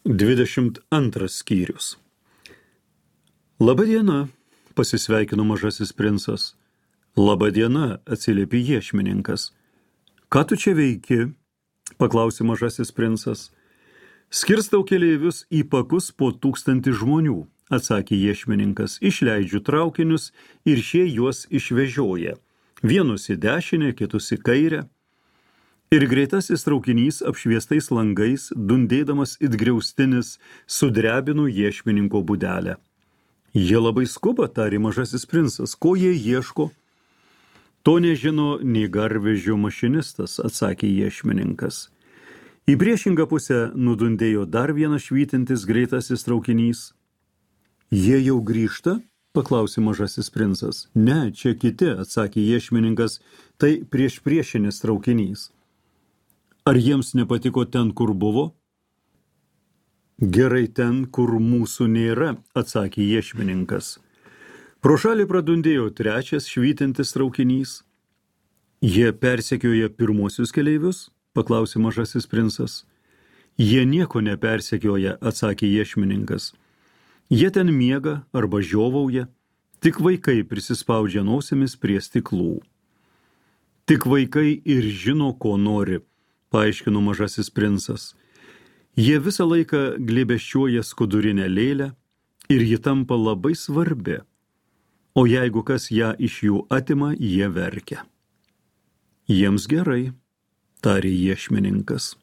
22 skyrius. Labą dieną, pasisveikino mažasis princas. Labą dieną, atsiliepė iešmininkas. Ką tu čia veiki? Paklausė mažasis princas. Skirstau keleivius į pakus po 1000 žmonių, atsakė iešmininkas. Išleidžiu traukinius ir šie juos išvežioja. Vienus į dešinę, kitus į kairę. Ir greitasis traukinys apšviestais langais, dundėdamas it griaustinis, sudrebino iešmininko būdelę. Jie labai skuba, tarė mažasis princas. Ko jie ieško? To nežino nei garvežio mašinistas, atsakė iešmininkas. Į priešingą pusę nudundėjo dar vienas švytintis greitasis traukinys. Jie jau grįžta? Paklausė mažasis princas. Ne, čia kiti, atsakė iešmininkas, tai priešpriešinis traukinys. Ar jiems nepatiko ten, kur buvo? Gerai ten, kur mūsų nėra, atsakė iešmininkas. Pro šalį pradundėjo trečias švytintis traukinys. Jie persekioja pirmuosius keleivius? Paklausė mažasis princas. Jie nieko nepersekioja, atsakė iešmininkas. Jie ten miega arba žiovauja, tik vaikai prisispaudžia nosimis prie stiklų. Tik vaikai ir žino, ko nori, paaiškino mažasis princas. Jie visą laiką glėbesčiuoja skudurinę lėlę ir ji tampa labai svarbi. O jeigu kas ją iš jų atima, jie verkia. Jiems gerai, tarė iešmininkas.